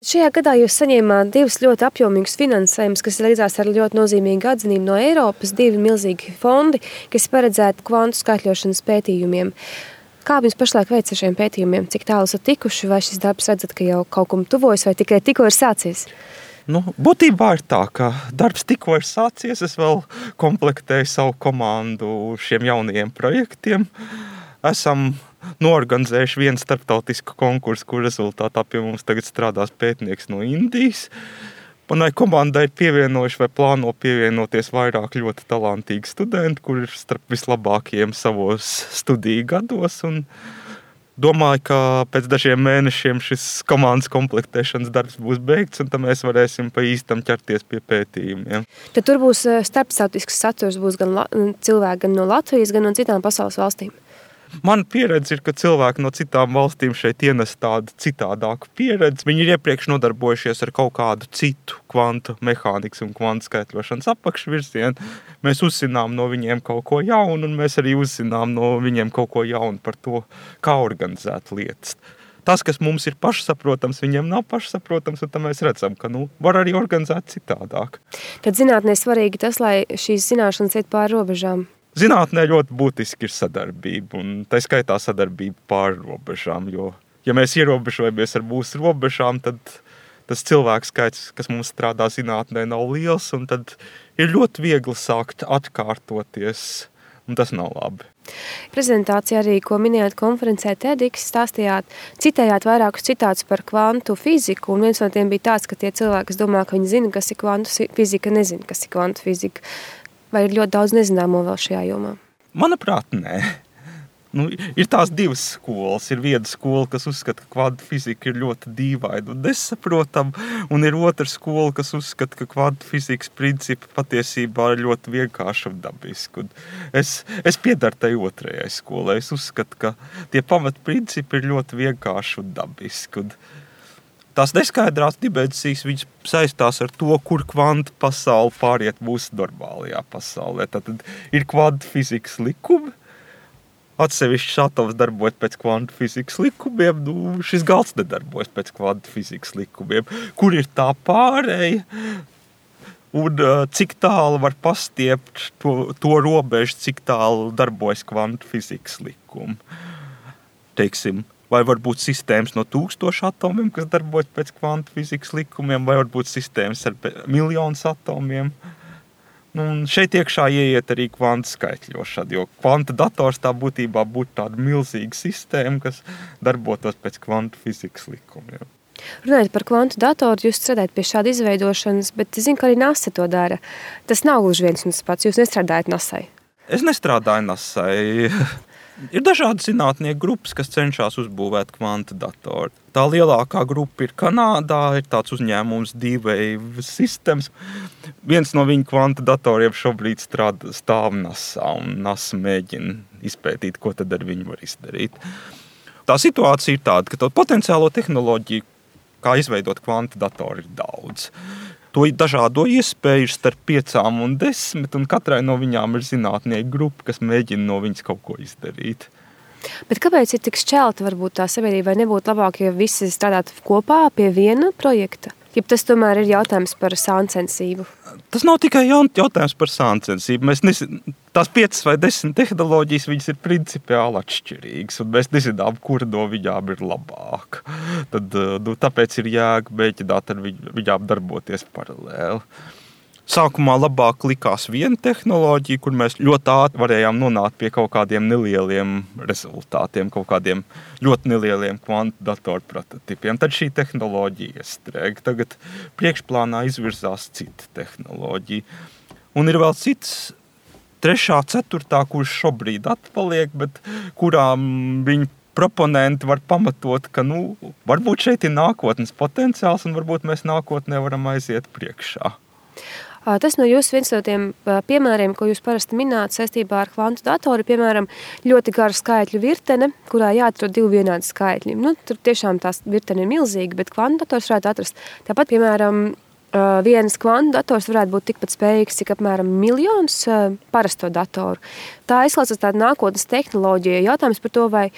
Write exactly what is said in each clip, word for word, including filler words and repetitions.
Šajā gadā jūs saņēmāt divus ļoti apjomīgus finansējumus, kas līdzās ar ļoti nozīmīgu atzinību no Eiropas, divi milzīgi fondi, kas paredzēti kvantu skaitļošanas pētījumiem. Kā jums pašlaik veic ar šiem pētījumiem? Cik tālu esat tikuši, vai šis darbs redzat, ka jau kaut kam tuvojas, vai tikai tikko ir sācies? Nu, būtībā ir tā, ka darbs tikko ir sācies, es vēl komplektēju savu komandu šiem jaunajiem projektiem. Esam norganizējuši vienu starptautisku konkursu, kur rezultātā pie mums tagad strādās pētnieks no Indijas. Manai komandai ir pievienojuši vai plāno pievienoties vairāk ļoti talantīgi studenti, kur ir starp vislabākajiem savos studiju gados. Un domāju, ka pēc dažiem mēnešiem šis komandas komplektēšanas darbs būs beigts, un tad mēs varēsim pa īstam ķerties pie pētījumiem. Tad tur būs starptautisks saturs, būs gan cilvēki gan no Latvijas, gan no citām pasaules valstīm. Mana pieredze ir, ka cilvēki no citām valstīm šeit ienes tādu citādāku pieredzi. Viņi ir iepriekš nodarbojušies ar kaut kādu citu kvantu mehānikas un kvantu skaitļošanas apakšvirzienu. Mēs uzzinām no viņiem kaut ko jaunu, un mēs arī uzzinām no viņiem kaut ko jaunu par to, kā organizēt lietas. Tas, kas mums ir pašsaprotams, viņiem nav pašsaprotams, un tad mēs redzam, ka nu, var arī organizēt citādāk. Tad zinātnē svarīgi tas, lai šīs zināšanas iet pāri robežām. Zinātnē ļoti būtiski ir sadarbība, un tā skaitā sadarbība pāri robežām, jo, ja mēs ierobežojamies ar mūsu robežām, tad tas cilvēku skaits, kas mums strādā zinātnē, nav liels, un tad ir ļoti viegli sākt atkārtoties, un tas nav labi. Prezentācijā arī, ko minējāt konferencē TEDx, stāstījāt, citējāt vairākus citātus par kvantu fiziku, un viens no tiem bija tāds, ka tie cilvēki, kas domā, ka viņi zina, kas ir kvantu fizika, nezina, kas ir kvantu fizika. Vai ir ļoti daudz nezināmo vēl šajā jomā? Manuprāt, nē. Nu, ir tās divas skolas. Ir viena skola, kas uzskata, ka kvantu fizika ir ļoti dīvaina un nesaprotama, un ir otra skola, kas uzskata, ka kvantu fizikas principi patiesībā ir ļoti vienkārši un dabiski. Un es, es piedaru tai otrajai skolai. Es uzskatu, ka tie pamatprincipi ir ļoti vienkārši un dabiski. Un tās neskaidrās dimensijas viņas saistās ar to, kur kvantu pasaule pāriet mūsu normālajā pasaulē. Tad ir kvantu fizikas likumi, atsevišķs atoms darbojas pēc kvantu fizikas likumiem, nu, šis galds nedarbojas pēc kvantu fizikas likumiem. Kur ir tā pārēja un cik tālu var pastiept to, to robežu, cik tālu darbojas kvantu fizikas likumi. Teiksim, vai varbūt sistēmas no tūkstošu atomiem, kas darbojas pēc kvantu fizikas likumiem, vai varbūt sistēmas ar miljonus atomiem. Nu, šeit iekšā ieiet arī kvantu skaitļošana, jo kvanta dators tā būtībā būtu tāda milzīga sistēma, kas darbotos pēc kvantu fizikas likumiem. Runājot par kvantu datoru, jūs strādājat pie šāda izveidošanas, bet es zinu, ka arī NASA to dara. Tas nav gluži viens un tas pats, jūs nestrādājat NASai. Es nestrādāju NASai. Ir dažādi zinātnieku grupas, kas cenšas uzbūvēt kvantu datoru. Tā lielākā grupa ir Kanādā, ir tāds uzņēmums D-Wave Systems. Viens no viņu kvantu datoriem šobrīd strādā stāv NASA, un NASA mēģina izpētīt, ko tad ar viņu var izdarīt. Tā situācija ir tāda, ka to potenciālo tehnoloģiju, kā izveidot kvantu datoru, ir daudz. To dažādo iespēju ir starp piecām un desmit, un katrai no viņām ir zinātnieku grupa, kas mēģina no viņas kaut ko izdarīt. Bet kāpēc ir tik šķelta varbūt tā sabiedrība, vai nebūtu labāk, ja visi strādātu kopā pie viena projekta? Ja tas tomēr ir jautājums par sāncensību? Tas nav tikai jautājums par sāncensību. Mēs nezinām, tās piecas vai desmit tehnoloģijas, viņas ir principiāli atšķirīgas, un mēs nezinām, kura no viņām ir labāka. Tad, nu, tāpēc ir jēga mēģināt ar viņām darboties paralēli. Sākumā labāk likās viena tehnoloģija, kur mēs ļoti ātri varējām nonākt pie kaut kādiem nelieliem rezultātiem, kaut kādiem ļoti nelieliem kvantu datoru prototipiem. Tad šī tehnoloģija iestrēga. Tagad priekšplānā izvirzās cita tehnoloģija. Un ir vēl cits, trešā, ceturtā, kurš šobrīd atpaliek, bet kurām viņi proponenti var pamatot, ka nu, varbūt šeit ir nākotnes potenciāls un varbūt mēs nākotnē varam aiziet priekšā. Tas no jūs viens no tiem piemēriem, ko jūs parasti mināt saistībā ar kvantu datoru, piemēram, ļoti gara skaitļu virtene, kurā jāatrod divi vienādi skaitļi. Nu, tur tiešām tās virtene ir milzīga, bet kvantu dators varētu atrast. Tāpat, piemēram, viens kvantu dators varētu būt tikpat spējīgs, cik apmēram miljons parasto datoru. Tā izklausās tāda nākotnes tehnoloģija. Jautājums par to, vai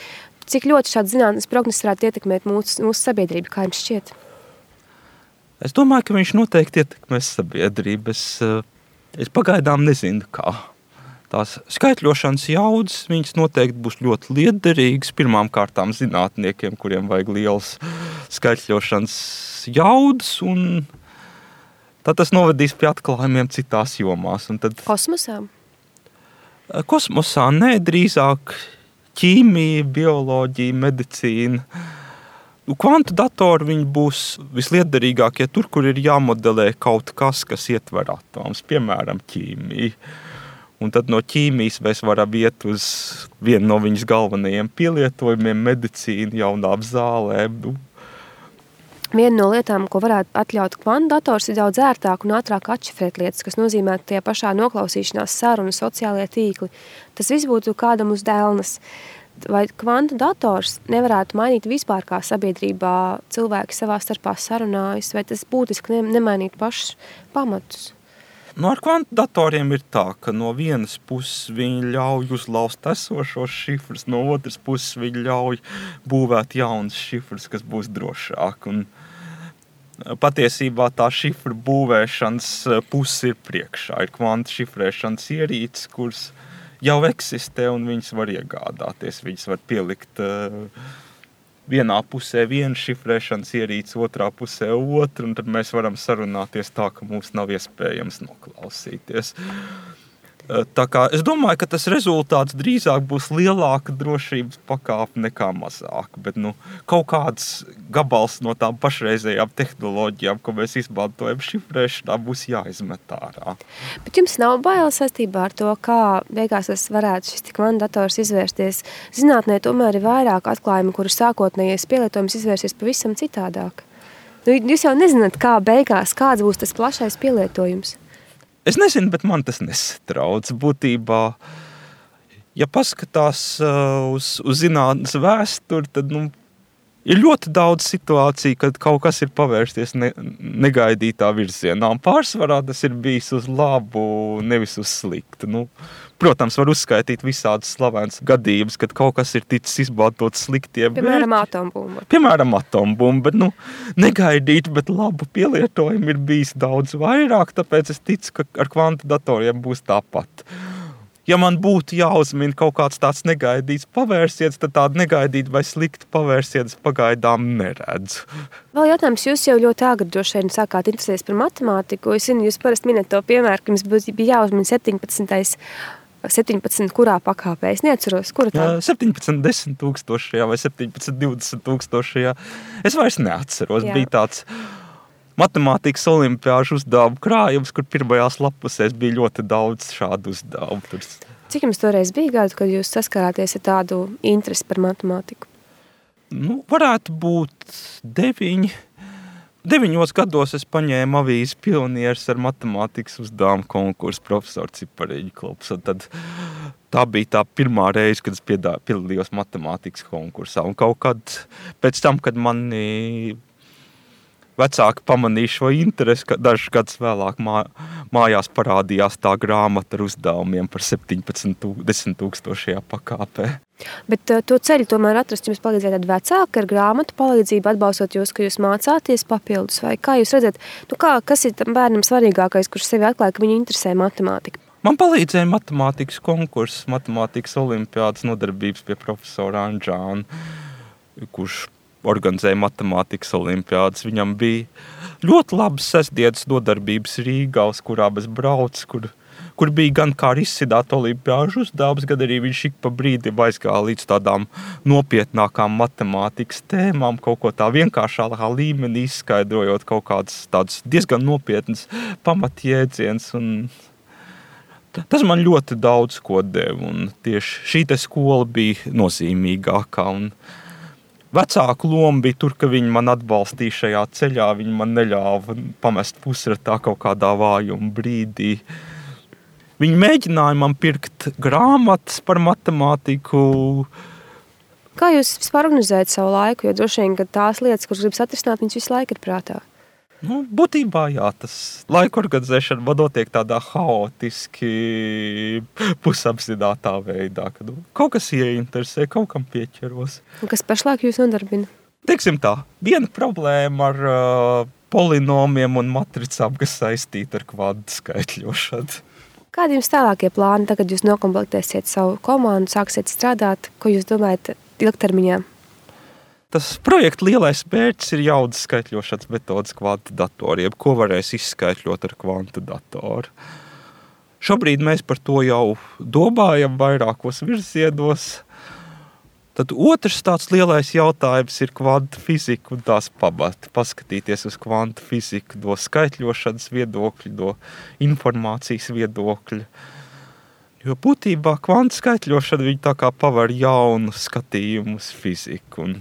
cik ļoti šāda zinātnes prognozes varētu ietekmēt mūsu, mūsu sabiedrību, kā jums šķiet? Es domāju, ka viņš noteikti ietekmēs sabiedrību. Es, es pagaidām nezinu, kā. Tās skaitļošanas jaudas, viņas noteikti būs ļoti liederīgas pirmām kārtām zinātniekiem, kuriem vajag liels skaitļošanas jaudas, un tad tas novedīs pie atklājumiem citās jomās. Un tad, kosmosā? Kosmosā, nē, drīzāk ķīmija, bioloģija, medicīna. Kvantu datori viņi būs visliederīgākie tur, kur ir jāmodelē kaut kas, kas ietver atomus, piemēram, ķīmija. Un tad no ķīmijas mēs varam iet uz vienu no viņas galvenajiem pielietojumiem - medicīna, jaunām zālēm. Viena no lietām, ko varētu atļaut kvantu dators, ir daudz ērtāk un ātrāk atšifrēt lietas, kas nozīmē, ka tie pašā noklausīšanās saruna, sociālie tīkli. Tas viss būtu kādam uz dēlnes. Vai kvantu dators nevarētu mainīt vispār, kā sabiedrībā cilvēki savā starpā sarunājas, vai tas būtiski nemainīt pašus pamatus? Nu, ar kvantu datoriem ir tā, ka no vienas puses viņi ļauj uzlauzt esošos šifrus, no otras puses viņi ļauj būvēt jaunas šifrus, kas būs drošāk. Un patiesībā tā šifru būvēšanas puse ir priekšā. Ir kvantu šifrēšanas ierīces, kuras jau eksistē un viņas var iegādāties. Viņas var pielikt uh, vienā pusē viena šifrēšanas ierīce, otrā pusē otra, un tad mēs varam sarunāties tā, ka mums nav iespējams noklausīties. Tā kā es domāju, ka tas rezultāts drīzāk būs lielāka drošības pakāpe nekā mazāka, bet nu, kaut kāds gabals no tām pašreizējām tehnoloģijām, ko mēs izmantojam šifrēšanā, būs jāizmet ārā. Bet jums nav baila saistībā ar to, kā beigās tas varētu šis kvantu dators izvērsties? Zinātnē tomēr ir vairāk atklājumi, kuru sākotnējais pielietojums izvērsies pavisam citādāk. Nu, jūs jau nezināt, kā beigās, kāds būs tas plašais pielietojums. Es nezinu, bet man tas nesatrauc. Būtībā, ja paskatās uh, uz, uz zinātnes vēsturi, tad nu, ir ļoti daudz situāciju, kad kaut kas ir pavērsties ne, negaidītā virzienā. Un pārsvarā tas ir bijis uz labu, nevis uz sliktu. Nu, protams, var uzskaitīt visādas slavenas gadījumus, kad kaut kas ir ticis izmantots sliktiem. Piemēram, atombumba. Piemēram, atombumba, bet nu, negaidīt, bet labu pielietojumu ir bijis daudz vairāk, tāpēc es ticu, ka ar kvantu datoriem būs tāpat. Ja man būtu jāuzmina kaut kāds tāds negaidīts pavērsiens, tad tādu negaidīt vai sliktu pavērsiens pagaidām neredzu. Vēl jautājums, jūs jau ļoti agri droši vien sākāt interesēties par matemātiku. Es zinu, jūs parasti minat to piemēru, ka jums bija jāuzmina septiņpadsmitais septiņpadsmit kurā pakāpē? Es neatceros, kura tā? septiņpadsmit desmit tūkstošajā vai septiņpadsmit divdesmit tūkstošajā. Es vairs neatceros. Jā. Bija tāds matemātikas olimpiāžu uzdevumu krājums, kur pirmajās lapusēs bija ļoti daudz šādu uzdevumu. Cik jums toreiz bija gadu, kad jūs saskarāties ar tādu interesi par matemātiku? Nu, varētu būt deviņi. Deviņos gados es paņēmu avīzi Pionieris ar matemātikas uzdevumu konkursu profesoru Cipareģu klubs. Tad tā bija tā pirmā reize, kad es piedalījos matemātikas konkursā. Un kaut kad pēc tam, kad mani vecāki pamanīja šo interesi, ka dažus gadus vēlāk mā, mājās parādījās tā grāmata ar uzdevumiem par septiņpadsmit tūkstošajā pakāpē. Bet to ceļu tomēr atrast jums palīdzēja tad vecāki ar grāmatu palīdzību, atbalstot jūs, ka jūs mācāties papildus, vai kā jūs redzat, nu kā, kas ir tam bērnam svarīgākais, kurš sevi atklāja, ka viņu interesē matemātika? Man palīdzēja matemātikas konkurss, matemātikas olimpiādas nodarbības pie profesora Anžāna, kurš organizēja matemātikas olimpiādas. Viņam bija ļoti labas sestdienas nodarbības Rīgā, uz kurām es braucu, kur, kur bija gan kā izsidāt olimpiāžu uzdevums, gan arī viņš ik pa brīdim aizgāja līdz tādām nopietnākām matemātikas tēmām, kaut ko tā vienkāršākā līmenī izskaidrojot kaut kādas tādas diezgan nopietnas pamatjēdziens. Un tas man ļoti daudz ko deva, un tieši šī te skola bija nozīmīgākā. Un vecāku loma bija tur, ka viņi man atbalstīja šajā ceļā, viņi man neļāva pamest pusratā kaut kādā vājuma brīdī. Viņi mēģināja man pirkt grāmatas par matemātiku. Kā jūs vispār organizējat savu laiku, jo droši vien, ka tās lietas, kuras gribas atrisināt, viņas visu laiku ir prātā? Nu, būtībā jā, tas laika organizēšana man notiek tādā haotiski pusapzinātā veidā, kad kaut kas ieinteresē, kaut kam pieķeros. Un kas pašlaik jūs nodarbina? Teiksim tā, viena problēma ar uh, polinomiem un matricām, kas saistīti ar kvantu skaitļošanu. Kādi jums tālākie plāni, tagad jūs nokomplektēsiet savu komandu, sāksiet strādāt, ko jūs domājat ilgtermiņā? Tas projekta lielais mērķis ir jaudas skaitļošanas metodas kvantu datoriem, ko varēs izskaitļot ar kvantu datoru. Šobrīd mēs par to jau domājam vairākos virzienos. Tad otrs tāds lielais jautājums ir kvantu fizika un tās pamati. Paskatīties uz kvantu fiziku no skaitļošanas viedokļa, no informācijas viedokļa. Jo būtībā kvantu skaitļošana viņa tā kā paver jaunu skatījumu uz fiziku. Un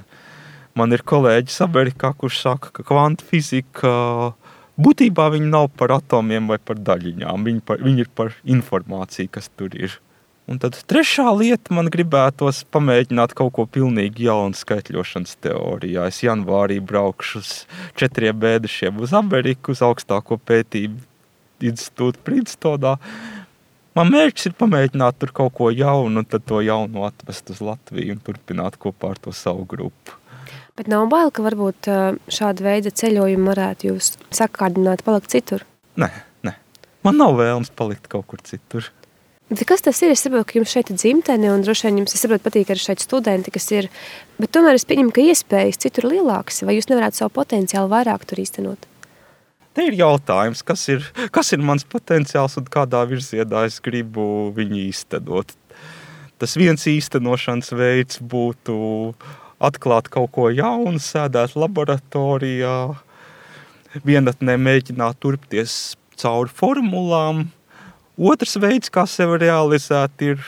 man ir kolēģis Amerikā, kurš saka, ka kvantu fizika būtībā viņi nav par atomiem vai par daļiņām. Viņi, par, viņi ir par informāciju, kas tur ir. Un tad trešā lieta man gribētos pamēģināt kaut ko pilnīgi jaunu skaitļošanas teorijā. Es janvārī braukšu uz četriem mēnešiem uz Ameriku, uz augstāko pētību institūtu Princetonā. Man mērķis ir pamēģināt tur kaut ko jaunu un tad to jaunu atvest uz Latviju un turpināt kopā ar to savu grupu. Bet nav bail, ka varbūt šāda veida ceļojumi varētu jūs sakārdināt palikt citur? Nē, nē. Man nav vēlams palikt kaut kur citur. Bet kas tas ir? Es saprotu, ka jums šeit ir dzimtene un droši vien jums, es saprotu, patīk arī šeit studenti, kas ir, bet tomēr es pieņemu, ka iespējas citur lielākas, vai jūs nevarētu savu potenciālu vairāk tur īstenot? Te ir jautājums, kas ir, kas ir mans potenciāls un kādā virzienā es gribu viņu īstenot. Tas viens īstenošanas veids būtu atklāt kaut ko jaunu, sēdēt laboratorijā, vienatnē mēģināt turpties cauri formulām. Otrs veids, kā sevi realizēt, ir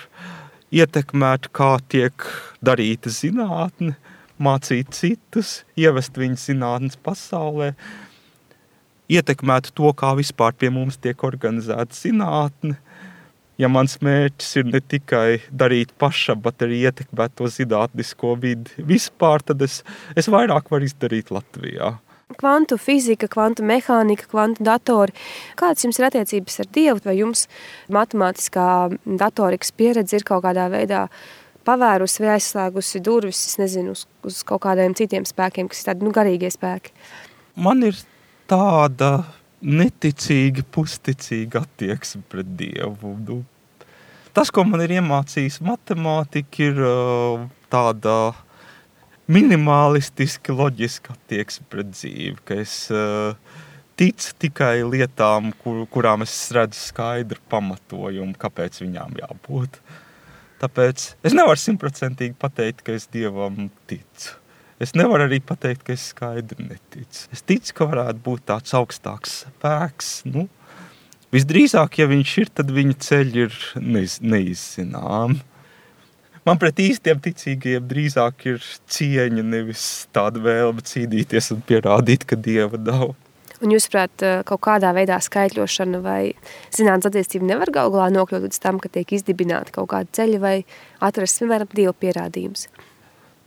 ietekmēt, kā tiek darīta zinātne, mācīt citus, ievest viņu zinātnes pasaulē, ietekmēt to, kā vispār pie mums tiek organizēta zinātne. Ja mans mērķis ir ne tikai darīt pašam, bet arī ietekmēt to zinātnisko vidi vispār, tad es, es vairāk varu izdarīt Latvijā. Kvantu fizika, kvantu mehānika, kvantu datori. Kādas jums ir attiecības ar Dievu? Vai jums matemātiskā datorikas pieredze ir kaut kādā veidā pavērusi vai aizslēgusi durvis, es nezinu, uz, uz kaut kādiem citiem spēkiem, kas ir tādi, nu, garīgie spēki? Man ir tāda neticīga, pusticīga attieksme pret Dievu. Nu, tas, ko man ir iemācījis matemātika, ir uh, tāda minimalistiski loģiska attieksme pret dzīvi, ka es uh, ticu tikai lietām, kur, kurām es redzu skaidru pamatojumu, kāpēc viņām jābūt. Tāpēc es nevaru simtprocentīgi pateikt, ka es Dievam ticu. Es nevaru arī pateikt, ka es skaidri neticu. Es ticu, ka varētu būt tāds augstāks spēks. Nu, visdrīzāk, ja viņš ir, tad viņa ceļi ir neiz, neizzinām. Man pret īstiem ticīgajiem drīzāk ir cieņa, nevis tāda vēlme cīnīties un pierādīt, ka Dieva nav. Un jūs, prāt, kaut kādā veidā skaitļošana vai zinātnes attīstība nevar galu galā nokļūt līdz tam, ka tiek izdibināti kaut kādi ceļi vai atrast, piemēram, Dieva pierādījums?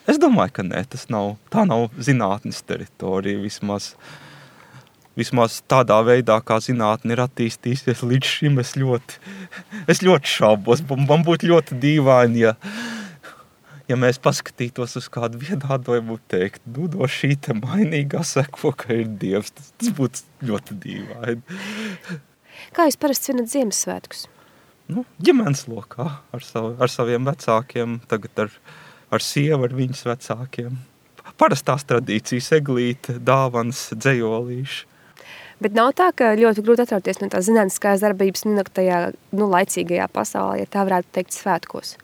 Es domāju, ka nē, tas nav, tā nav zinātnes teritorija vismaz. Vismaz tādā veidā, kā zinātne ir attīstījusies līdz šim, es ļoti, es ļoti šaubos. Man būtu ļoti dīvaini, ja, ja mēs paskatītos uz kādu vienādojumu un teikt, nu, no šī te mainīgā seko, ka ir Dievs. Tas, tas būtu ļoti dīvaini. Kā jūs parasti svinat Ziemassvētkus? Nu, ģimenes lokā ar, savu, ar saviem vecākiem, tagad ar, ar sievu, ar viņas vecākiem. Parastās tradīcijas, eglīte, dāvanas, dzejolīši. Bet nav tā, ka ļoti grūti atrauties no tās zinātniskās darbības tajā, nu, laicīgajā pasaulē, ja tā varētu teikt, svētkos?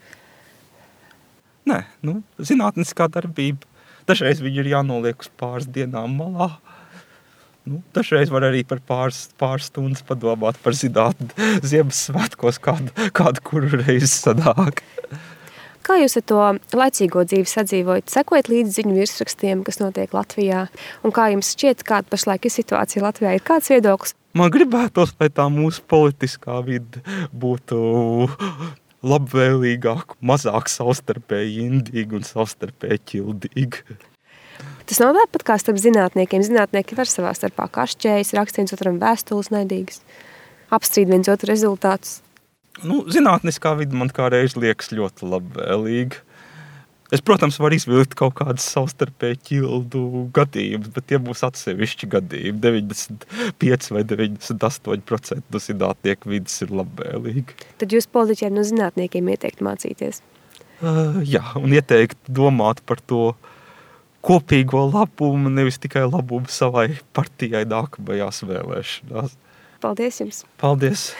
Nē, nu, zinātniskā darbība. Dažreiz viņi ir jānoliek uz pāris dienām malā. Nu, dažreiz var arī par pāris, pāris stundas padomāt par zinātni Ziemassvētkos, kādu, kādu kuru reizi sanāk. Kā jūs ar to laicīgo dzīvi sadzīvojat? Sekojat līdz ziņu virsrakstiem, kas notiek Latvijā? Un kā jums šķiet, kāda pašlaik ir situācija Latvijā? Ir kāds viedoklis? Man gribētos, lai tā mūsu politiskā vide būtu labvēlīgāk, mazāk savstarpēji indīga un savstarpēji ķildīga. Tas nav tāpat kā starp zinātniekiem. Zinātnieki var savā starpā kašķējas, rakst viens otram vēstules naidīgas, apstrīd viens otru rezultātus. Nu, zinātniskā vide man kā reiz liekas ļoti labvēlīga. Es, protams, varu izvilkt kaut kādas savstarpēji ķildu gadījumus, bet tie būs atsevišķi gadījumi. deviņdesmit pieci vai deviņdesmit astoņi procenti no zinātnieku vidas ir labvēlīgi. Tad jūs politiķiem no zinātniekiem ieteikt mācīties? Uh, jā, un ieteikt domāt par to kopīgo labumu, nevis tikai labumu savai partijai nākamajās vēlēšanās. Paldies jums! Paldies!